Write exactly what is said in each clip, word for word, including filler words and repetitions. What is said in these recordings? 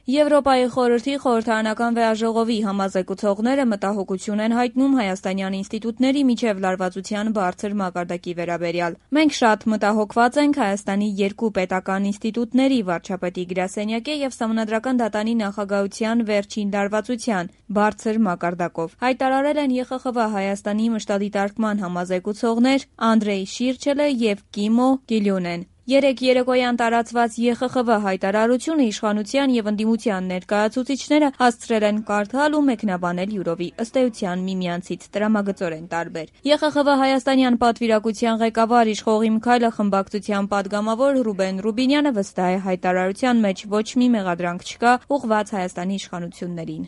Եվրոպայի խորհրդի խորհրդարանական վեաժողովի համազեկուցողները մտահոգություն են հայտնում հայաստանյան ինստիտուտների միջև լարվածության բարձր մակարդակի վերաբերյալ։ Մենք շատ մտահոգված ենք Հայաստանի երկու պետական ինստիտուտների՝ վարչապետի գրասենյակի և Սահմանադրական դատանի նախագահության վերջին լարվածության բարձր մակարդակով, հայտարարել են Ե Խ Խ V Հայաստանի մշտադիտարկման համազեկուցողներ Անդրեյ Շիրչելը և Կիմո Կիլյունեն։ Երեկ երեկոյան տարածված Ե Խ Խ V հայտարարությունը իշխանության և ընդդիմության ներկայացուցիչները հասցրել են կարդալ ու մեկնաբանել յուրովի ըստ էության միմյանցից տրամագծորեն տարբեր։ Ե Խ Խ V հայաստանյան պատվիրակության ղեկավար Իշխող իմ քայլը խմբակցության պատգամավոր Ռուբեն Ռուբինյանը վստահ է հայտարարության մեջ ոչ մի մեղադրանք չկա ուղղված Հայաստանի իշխանություններին։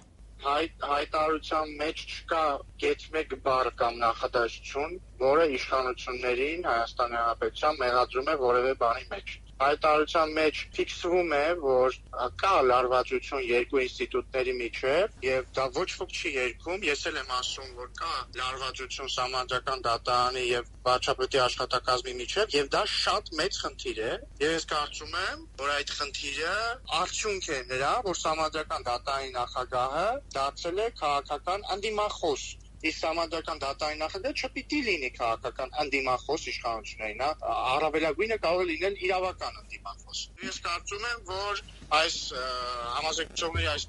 Հայտարարության մեջ չկա կետ մեկ բառ կամ նախադասություն, որը իշխանություններին Հայաստանի Հանրապետության մեղադրում է որևէ բանի մեջ։ Հայտարարության մեջ ֆիքսվում է, որ կա լարվածություն երկու ինստիտուտների միջև եւ դա ոչ ոք չի երգում։ Ես էլ եմ ասում, որ կա լարվածություն Սահմանադրական դատարանի եւ վարչապետի աշխատակազմի միջև եւ դա շատ մեծ խնդիր է։ Եվ ես կարծում եմ, որ այդ խնդիրը արդյունք է նրա, որ Սահմանադրական դատարանի նախագահը դարձել է քաղաքական անդիմախոս։ Իսկ Սահմանադրական դատարանի նախագահը չպիտի լինի քաղաքական անդիմախոս իշխանություններին, առավելագույնը կարող է լինել իրավական անդիմախոս։ Ես կարծում եմ, որ այս համազեկուցողների այս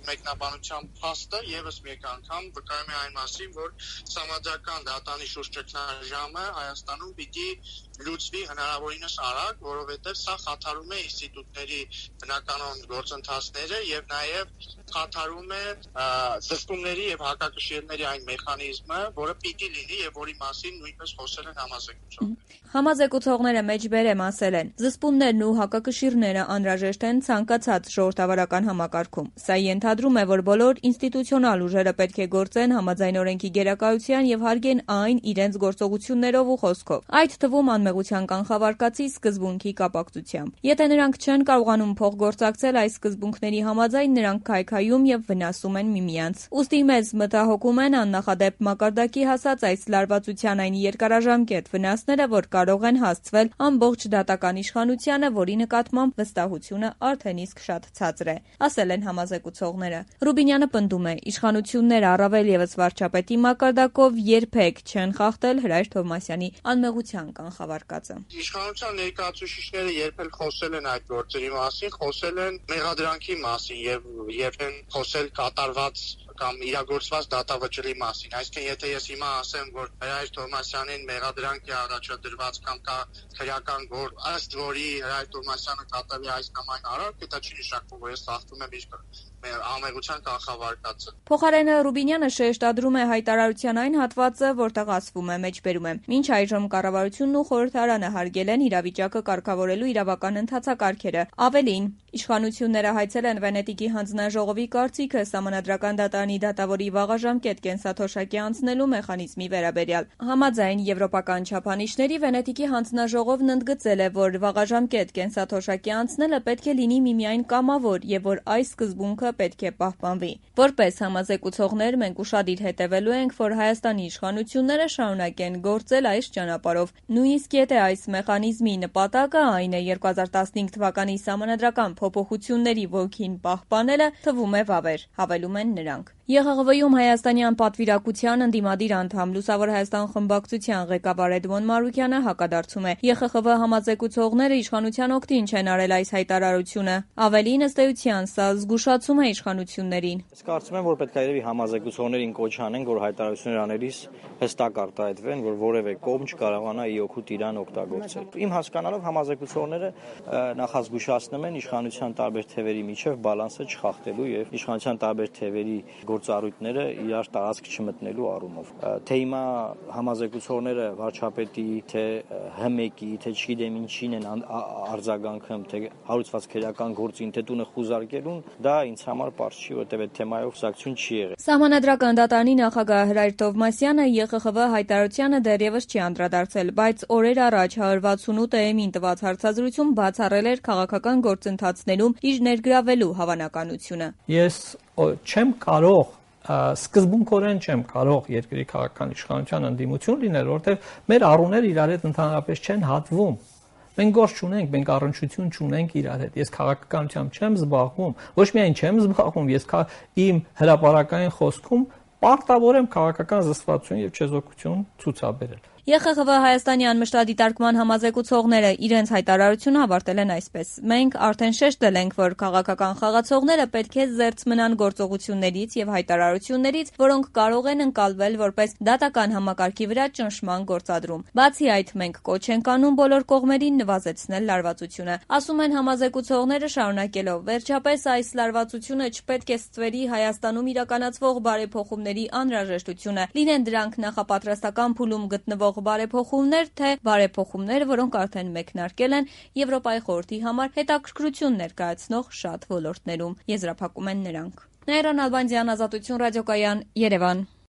մեկնաբանության փաստը եւս մեկ անգամ վկայում է այն մասին, որ Սահմանադրական դատարանի շուրջ ճգնաժամը Հայաստանում պիտի լուծվի հնարավորինս արագ, որովհետեւ սա խաթարում է ինստիտուտների բնականոն գործընթացները եւ նաեւ խաթարում է զսպումների եւ հակակշիռների այն մեխանիզմը, որը պիտի լինի եւ որի մասին նույնպես խոսել են համազեկուցողները։ Համազեկուցողները մեջբերեմ ասել են. զսպումներն ու հակակշիռները անհրաժեշտ են ցանկացած ժողովրդավարական համակարգում։ Սա ենթադրում է, որ բոլոր ինստիտուցիոնալ ուժերը պետք է գործեն համաձայն օրենքի գերակայության եւ հարգեն այն իրենց գործողություններով ու խոսքով, այդ թվում անմեղության կանխավարկածի սկզբունքի կապակցությամբ։ Եթե նրանք չեն կարողանում փոխգործակցել այս սկզբունքների համաձայն, նրանք քայքայում եւ վնասում են միմյանց։ Ուստի մեզ մտահոգում են աննախադեպ մակարդակի հասած այս լարվածության այն երկարաժամկետ վնասները, որ կարող են հասցվել ամբողջ դատական իշխանությանը, որի նկատմամբ վստահությունը արդեն իսկ շատ ցածր է, ասել են համազեկուցողները։ Ռուբինյանը պնդում է, իշխանությունները առավել եւս վարչապետի մակարդակով երբեք չեն խախտել Հրայր Թովմասյանի անմեղության կանխավարկածը։ Իշխանության ներկայացուցիչները երբ էլ խոսել են այդ գործերի մասին, խոսել են մեղադրանքի մասին եւ եւ են խոսել կատարված կամ իրագործված դատավճռի մասին։ Այսինքն, եթե ես հիմա ասեմ, որ Հրայր Թովմասյանին մեղադրանք է առաջադրված կամ կա քրեական գործ, ըստ որի Հրայր Թովմասյանը կատարի այս կամ այն արարք, դա չի նշանակում, որ ես խախտում եմ իր անմեղության կանխավարկածը։ Փոխարենը Ռուբինյանը շեշտադրում է հայտարարության այն հատվածը, որտեղ ասվում է մեջբերում է. մինչ այժմ կառավարությունն ու խորհրդարանը հարգել են իրավիճակը կարգավորելու իրավական ընթացակարգերը։ Ավելին, իշխանությունները հայցել են Վենետիկի հանձնաժողովի կարծիքը Սահմանադրական դատարանի դատավորի վաղաժամկետ կենսաթոշակի անցնելու մեխանիզմի վերաբերյալ։ Համաձայն եվրոպական չափանիշների Վենետիկի հանձնաժողովն ընդգծել է, որ վաղաժամկետ կենսաթոշակի անցնելը պետք է լինի միմիայն կամավոր եւ որ այս սկզբունքը պետք է պահպանվի։ Որպես համազեկուցողներ մենք ուշադիր հետևելու ենք, որ Հայաստանի իշխանությունները շարունակեն գործել այս ճանապարհով։ Նույնիսկ եթե այս մեխանիզմի նպատակը այն է երկու հազար տասնհինգ թվականի սահմանադրական փոփոխությունների ոգին պահպանելը, թվում է վավեր, հավելում են նրանք։ Ե Խ Խ V-ում հայաստանյան պատվիրակության ընդդիմադիր անդամ Լուսավոր Հայաստան խմբակցության ղեկավար Էդմոն Մարուկյանը հակադարձում է. Ե Խ Խ V համազեկուցողները իշխանության օգտին չեն արել այս հայտարարությունը։ Ավելին, ըստ էության, սա զգուշացում է իշխանություններին։ Ես կարծում եմ, որ պետք է երևի համազեկուցողներին կոչ անենք, որ հայտարարություններ անելիս հստակ արտահայտվեն, որ որևէ կողմ չկարողանա ի օգուտ իրան օգտագործել։ Իմ հասկանալով համազեկուցողները նախազգուշացնում են իշխանության տարբեր թևերի միջև բալանսը չխախտելու եւ իշխանության տարբեր թևերի գործառույթները իրար տարածք չմտնելու առումով։ Թե հիմա համազեկուցողները վարչապետի, թե Հ մեկի, թե չգիտեմ ինչին են արձագանքում, թե հարուցված քրեական գործին, թե տունը խուզարկելուն, դա ինձ համար պարզ չի, որտեղ այդ թեմայով խոսակցություն չի եղել։ Սահմանադրական դատարանի նախագահ Հրայր Թովմասյանը Ե Խ Խ V հայտարարությանը դեռևս չի անդրադարձել, բայց օրեր առաջ հարյուր վաթսունութ Է Էմ-ին տված հարցազրույցում բացառել էր քաղաքական գործընթացներում իր ներգրավելու հավանականությունը։ Ես չեմ կարող սկզբունքորեն չեմ կարող երկրի քաղաքական իշխանության ընդդիմություն լինել, որովհետև մեր առուները իրար հետ ընդհանրապես չեն հատվում։ Մենք գործ չունենք, մենք առնչություն չունենք իրար հետ։ Ես քաղաքականությամբ չեմ զբաղվում, ոչ միայն չեմ զբաղվում, ես իմ հրապարակային խոսքում պարտավոր եմ քաղաքական զսպվածություն եւ չեզոքություն ցուցաբերել։ Ե Խ Խ Վ Հայաստանի անմշտադիտարկման համազեկուցողները իրենց հայտարարությունը ավարտել են այսպես. Մենք արդեն շեշտել ենք, որ քաղաքական խաղացողները պետք է զերծ մնան գործողություններից եւ հայտարարություններից, որոնք կարող են ընկալվել որպես դատական համակարգի վրա ճնշման գործադրում։ Բացի այդ, մենք կոչ ենք անում բոլոր կողմերին նվազեցնել լարվածությունը։ Ասում են համազեկուցողները շարունակելով. վերջապես այս լարվածությունը չպետք է ստվերի Հայաստանում իրականացվող բարեփոխումների անհրաժեշտությունը, լինեն դրանք նախապատրաստական փուլում գտնվող բարեփոխումներ, թե բարեփոխումներ, որոնք արդեն մեկնարկել են Եվրոպայի խորհրդի համար հետաքրքրություն ներկայացնող շատ ոլորտներում, եզրափակում են նրանք։ Նաիրա Նալբանդյան, Ազատություն ռադիոկայան, Երևան։